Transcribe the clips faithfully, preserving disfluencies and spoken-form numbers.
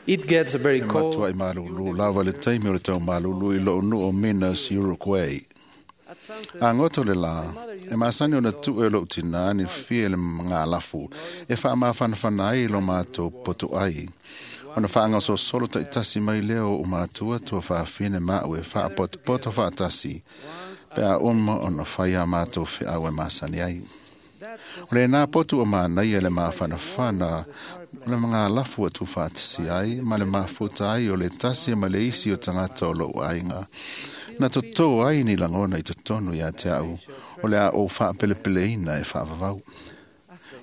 It gets very E cold. matua i malulu lava le taimi o le tau malulu i lou nuu o Minas, Uruguay. At sunset, A goto le lā, e masani ona tuu e lou tinā ni fia le ngālafu, e faamafanafana ai lo mātou poto ai. Ona whaangasosolo taitasi mai leo o mātua tua whaafine mau e whaapotopoto whaatasi, pe a uma ona whai a mātou whiau e masani ai. that was O le nā potu o mānai e le māwhanawhana, le mga lafu atu whaatasi ai, ma le mafuta ai o le tasi ma le isi o tangata o lou aiga. Na totō ai ni langona i totonu ia te au, o le a o whaapelepeleina e whaavavau.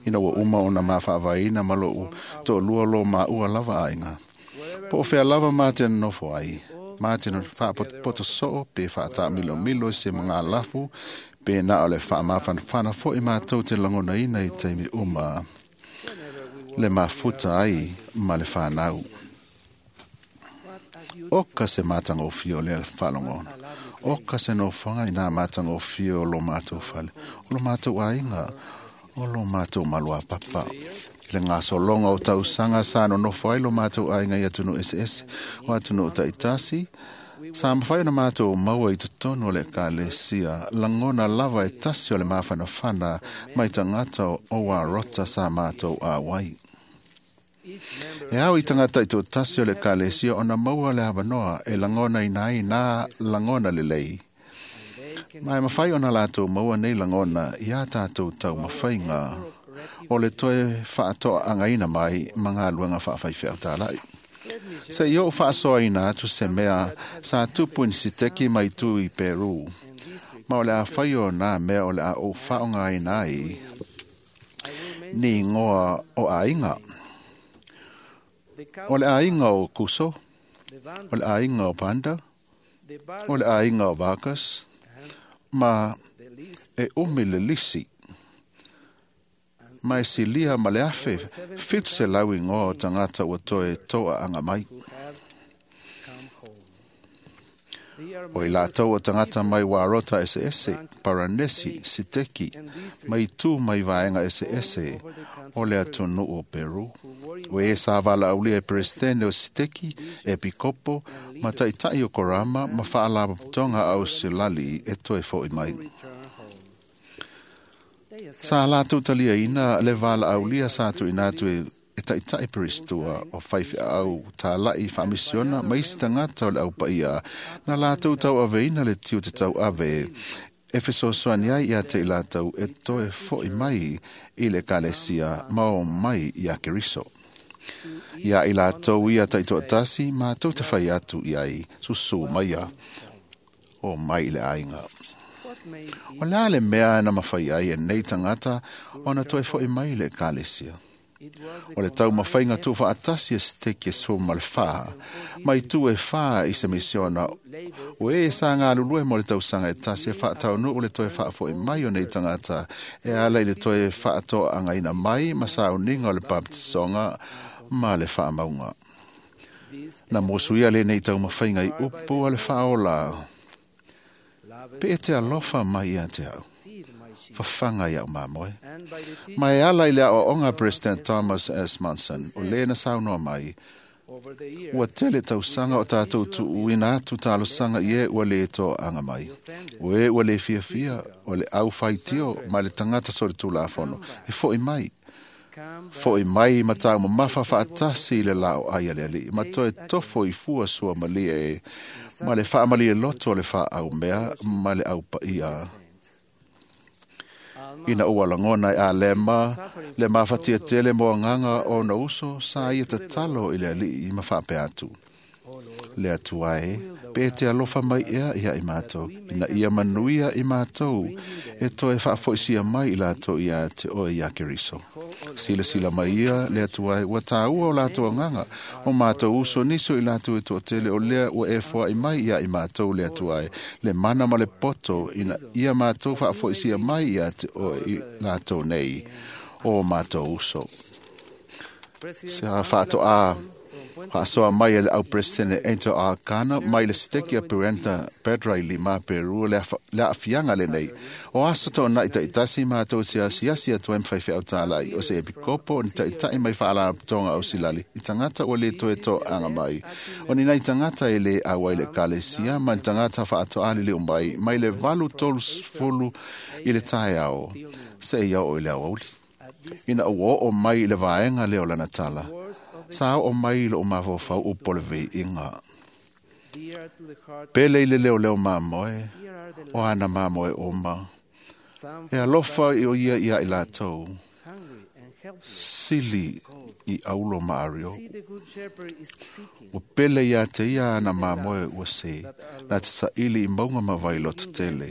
Ina ua uma ona mawhaavaina ma lou to lua lo maua lava aiga. Po o whea lava mā te nofo ai, mā te whaapotopoto soo pe whaatamilomilo se mga lafu, pe nā o le whaamawhanawhana fo i mātou te langona ina i taimi uma whenever we le mafuta ai ma le whanau. what a beautiful O ka se mātanga o fio le whalongona. O ka se nofanga i nā mātanga o fio o lo mātou whale. O lo mātou ainga, o lo mātou malua papa. I le ngasolonga o tausanga sa no nofo ai lo mātou ainga i atunu S S, o atunu o taitasi. Sa mawhai na mātou maua i totonu o le kalesia, langona lava e tasi o le māwhanawhana mai tangata o wā rota sa mātou a wai. each member E au i tangata i tō tasi o le kalesia ona maua le awanoa e langona i nai nā langona le lei. and they can Mai mawhai ona lātou maua nei langona i a tātou tau mawhainga o le toe whaatoa angaina mai ma ngā luanga whaawhaiwhea o tālai. let me share Se i o whaasoa ina atu se mea sa tupu ni siteki mai tū i Peru. and district. Ma o le a whai o nā mea o le a o whaonga ina ai I will mention ni ngoa o ainga. the O le ainga o Kuso, the Banda, o le ainga o Panda, the o le Barba, ainga o Vargas, and ma the list e umi le lisi. Ma e silia ma le afe, fitu se lau ingoa o tangata ua toe toa anga mai. who have come home. They are O i members lātou o of tangata mai different wārota ese ese, Paranesi, Siteki, and districts mai tū mai vaenga ese ese, o le atunu o Peru. who were O e sa wala aulia e presidente o Siteki, e Pikopo, ma taitai o Korama, ma whaalapatonga au Silali e toe fo i mai. return home. They accept Sa lātou talia ina le wala aulia sa tu ina atu e e taitai peristua o whaiwhi au tālai whaamisiona mai isi tangata o le au paia. Nā lātou tau ave ina le tiu te tau ave e fesoasoani ai ia te i lātou e toe foi mai i le kalesia mao mai ia Keriso. Ia i lātou ia taitoatasi mātou te whai atu i ai susu mai ia o mai i le ainga. what made O le ale mea na mawhai ai e nei tangata o na toe foi mai le kalesia. it was the O le tau mawhainga tū whaatasi e steki e sōma le whā. Mai tū e whā i se misiona. labor O e sa ngā lulue mo le tausanga e tasi e whaatau nu o le toe whaafo i mai o nei tangata. E ala i le toe whaatoa angaina mai ma sa uninga o le baptisonga ma le whaamaunga. this Na mosuia le nei tau mawhainga i upu a le whaola. love Pe e te alofa mai ia te au. feed my sheep Whawhanga i au māmoe. and by the teaching Mai ala i le ao onga President Thomas S. Monson, o lena saunoa mai, over the years ua tele tausanga o tātou tuuina atu talosanga i e ua le tō anga mai. O e ua le fiafia, o le au whaitio, ma le tangata so le tūlafono. E foi mai. come back Foi mai ma tāu mamafa whaatasi i le lao ai ale ali. Ma toe tofo i fua sua malie e. Ma le whaamalie loto o le wha au mea, ma le au paia. saints. Alma Ina ua langona i a lema, le mafatia tele moa nganga o na uso, sa ia tatalo i le ali i mawhape atu. O Lord, Le atua e, pe te alofa mai ea ia i mātou, ina ia manuia i mātou, e toe whaafoisia mai i lātou ia te oe ia Keriso. Sila sila mai ia, le atua e, ua tāua o lātou anganga, o mātou uso niso i lātou e tō tele o lea ua e foa i mai ia i mātou le atua e, le mana ma le poto, ina ia mātou whaafoisia mai ia te oe i lātou nei, o mātou uso. Se a faatoa faasoa mai e le au Presidente Angel Arcana mai le seteki a Perenta Pedra i Lima Peru le aafiaga lenei. O aso toonai taitasi matou te asiasi atu ai ma faifeau talai o se epikopo o ni taitai mai faalapotopotoga o silali i tagata ua lē toe toaga mai. O ni nai tagata e lē auai le ekalesia ma ni tagata faatoa liliu mai mai le valu tolusefulu i le taeao seia oo i le aoauli. Ina ua oo mai i le vaega lea o lana tala, sa oo mai i lou mafaufau upu o le veiiga. Pele i le leoleo mamoe, o ana mamoe uma. E alofa i o ia ia i latou. Sili i aulo ma ario. Ua pele ia te ia ana mamoe ua se, na te saili i maunga ma vailoto tele.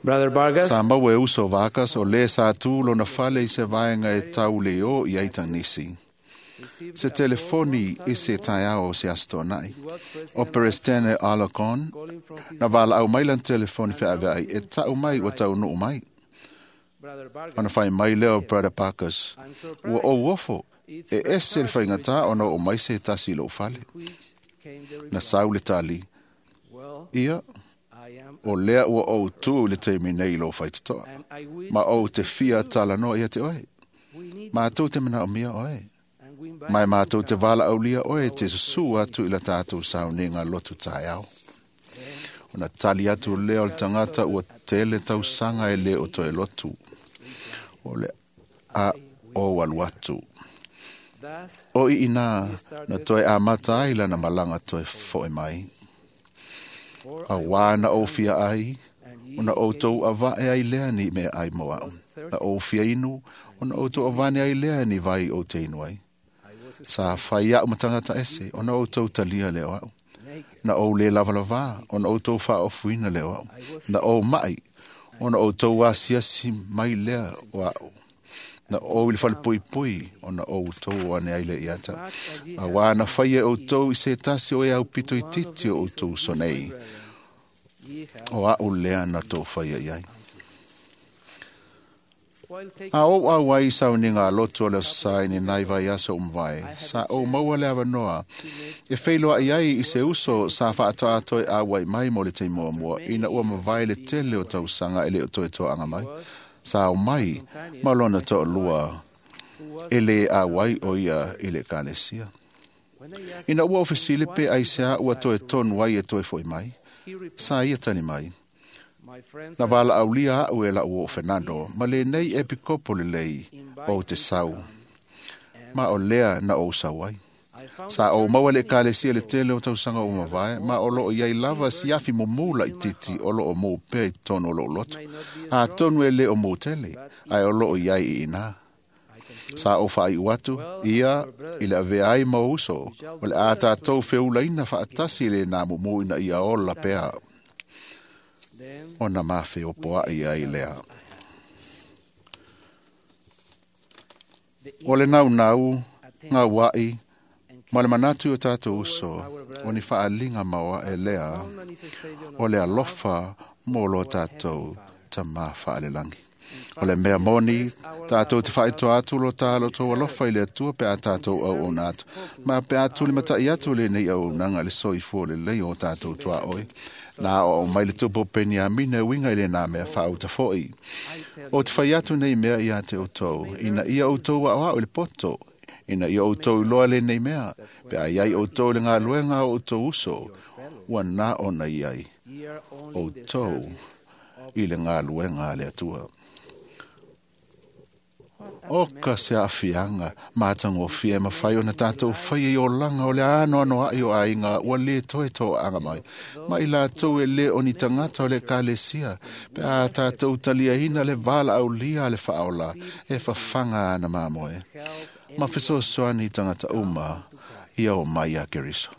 Brother Vargas, Sa maua e uso Vargas o lē sa tu lona fale i se vaega e tau le o i ai tanisi. Se telefoni i se taeao o se aso toonai. O Perestene Alarcon, na valaau mai lana telefoni feaveai e tau mai ua taunuu mai. Brother Vargas, Ona fai mai lea o Brother Parkers, ua ou ofo, e ese le faigata ona oo mai se tasi i lou fale. which came the Na reply, sau le tali, well, ia, I am, o lea ua ou tu i le taimi nei i lou faitotoa. and I wish Ma ou te fia talanoa ia te oe. we need Mātou te manaomia oe. and we invite Mai you to mātou te come. valaaulia oe te susu atu i la tātou sauniga lotu taeao. Ona tali atu lea o le tagata ua tele tausaga e lē o toe lotu. O le a ou alu atu. Thus, O i inā na toe amata ai lana malaga toe fo'i mai. for Auā na ou fia ai, and ye ona outou avae ai lea ni mea ai mo a'u. Na ou fia inu, ona outou avane ai lea ni vai ou te inu ai. I was Sa fai a'u ma tagata ese, ona outou talia lea o a'u. naked, Na ou lē lavalavā, ona outou faaofuina lea o a'u. Na ou ma'i, ona outou asiasi mai lea o a'u. Na ou i le falepuipui, ona outou o ane ai lea ia te a'u. much as ye Auā na faia e outou i se tasi o e aupito i one of titi o the outou least uso of these, my nei. brethren, ye have O a'u lea na tou faia i ai. While taking A ou au ai sauniga a lotu o le aso sa i ni nai vai aso umavae, sa ou maua le avanoa, e feiloai ai i se uso sa faatoa toe auai mai mo le taimi muamua, ina ua mavae le tele o tausaga e le o toe toaga mai. Sa ao mai ma lona toalua who was e lē auai o ia i le ekalesia. when I asked Ina ua ofesile pe aisea ua toe tonu ai e toe fo'i mai, he replied, sa ia tali mai. my friend Na valaaulia a'u e la'u oo Fernando, ma lenei epikopo lelei ou te sau, ma o lea na ou sau ai. I found Sa ou maua le ekalesia le tele o tausaga o mavae, ma o loo iai lava siafi mumu laititi o loo mou pea i totonu o lou loto. Atonu e lē o mou tele, ae o loo iai i inā. I concluded Sa ou faaiu atu, ia i le avea ai ma ou uso, o le a tatou feulaina faatasi i lenā mumu ina ia ola pea, then ona mafeopoa'i ai lea. the O le naunau, attention gaua'i, and ma le manatu i o tatou uso, o ni faaliga maoae lea, own manifestation o of le alofa mo lo tatou tamā faalelagi. O le mea moni, tatou te faitoa atu lo tā lo tou alofa i le Atua pe a tatou auauna atu. Ma pe a tulimatai atu lenei auaunaga i le soifua lelei o tatou tuaoi. Na aoao mai le tupu o Peniamina e uiga i lenā mea faauta fo'i. I tell O te fai atu nei mea ia te outou, ina ia outou aoao i le poto, ina ia outou iloa lenei mea, pe a iai outou i le galuega a outou uso, ua na ona iai ye are only in the outou service of i le galuega a le Atua. O ka se aafiaga matagofie e mafai ona tatou faia i olaga o le anoanoa'i o aiga ua lē toe toaga mai. Ma i latou e lē o ni tagata o le ekalesia, pe a tatou taliaina le valaaulia a le faaola e fafaga ana mamoe. help Ma fesoasoani i tagata uma ia o mai iā Keriso.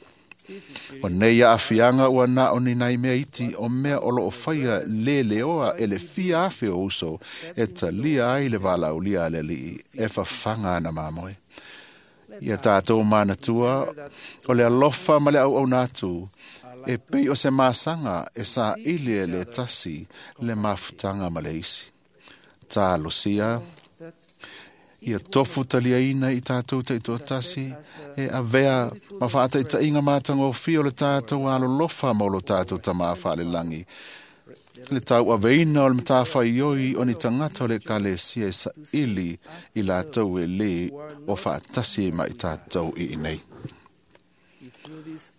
this is O nei aafiaga ua na o ni nai mea iti o mea o loo faia leleoa e le fia afe o uso e talia ai le valaaulia a le Alii e fafaga ana mamoe. Ia tatou manatua o le alofa ma le auauna atu E pei o se masaga e saili e le tasi le mafutaga ma le isi. Talosia ia tofu taliaina i tatou taitoatasi e avea ma faataitaiga matagofie o le tatou alolofa ma o lo tatou Tamā faalelagi. Le tauaveina o le matafaioi o ni tagata o le ekalesia e saili i latou e lē o faatasi ma i tatou i inei.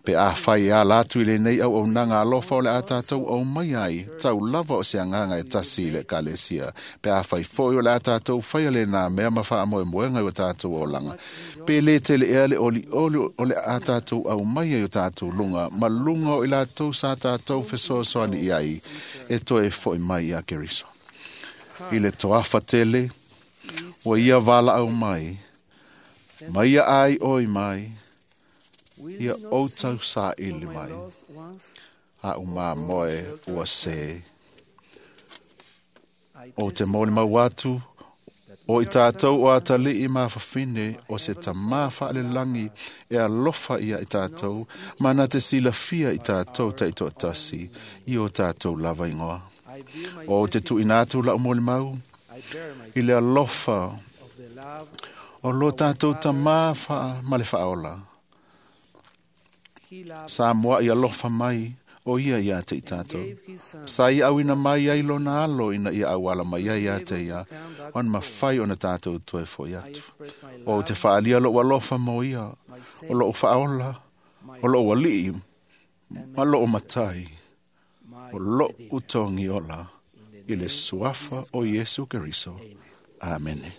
Pe afai e ala atu i lenei auaunaga alofa o le a tatou aumai ai tau lava o se agaga e tasi i le ekalesia. Pe afai foi o le a tatou faia lenā mea ma faamoemoega i o tatou olaga. Pe lē tele ea le olioli o le a tatou aumai ai o tatou luga ma luga o i latou sa tatou fesoasoani i ai e toe fo'i mai ia Keriso. I le toafa tele, ua ia valaau mai, ma ia ai oi mai, Will ia you not ou seek tausaili for my mai, lost ones? a umamoe ua sē. I O te testify molimau atu, that o we i are tatou o sons atalii mafafine o se tamā faalelagi e alofa ia i tatou, ma na te silafia i tatou taitoatasi i o tatou lava igoa. I bear my O te tuuina atu lau molimau I bear my i le alofa of the love o lo tatou tamā faa, ma le faaola. he loved Sa moa i alofa mai o ia ia te i tatou. gave his son Sa ia auina mai ai lona alo ina ia auala mai ai ia te ia, ona mafai ona tatou toe fo'i I atu. express my O love te faalia lou alofa mo ia, my o lou faaola, my o lou alii, and ma lou matai, my o lou Redeemer. togiola, In the i le name suafa o Iesu Keriso. Amen. Amene.